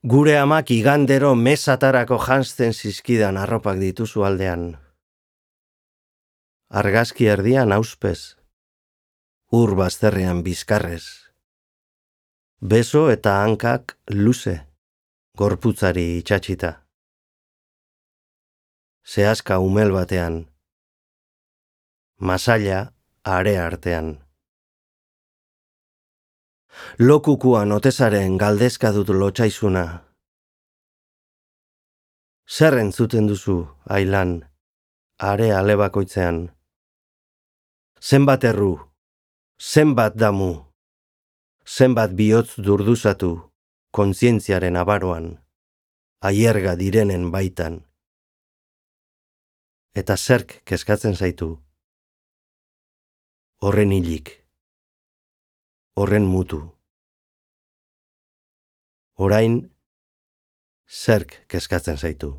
Gure amak igandero mesatarako janzten zizkidan arropak dituzu aldean. Argazki erdian auspez, ur bazterrean bizkarrez. Beso eta hankak luze, gorputzari itxatxita. Zehazka umel batean, masaila are artean. Lokukuan otezaren galdezka dut lotxaizuna. Zer entzuten duzu, ailan, are alebakoitzean. Zenbat erru, zenbat damu, zenbat bihotz durduzatu, kontzientziaren abaroan, aierga direnen baitan. Eta zerk kezkatzen zaitu, horren hilik, horren mutu. Orain, zerk kezkatzen zaitu.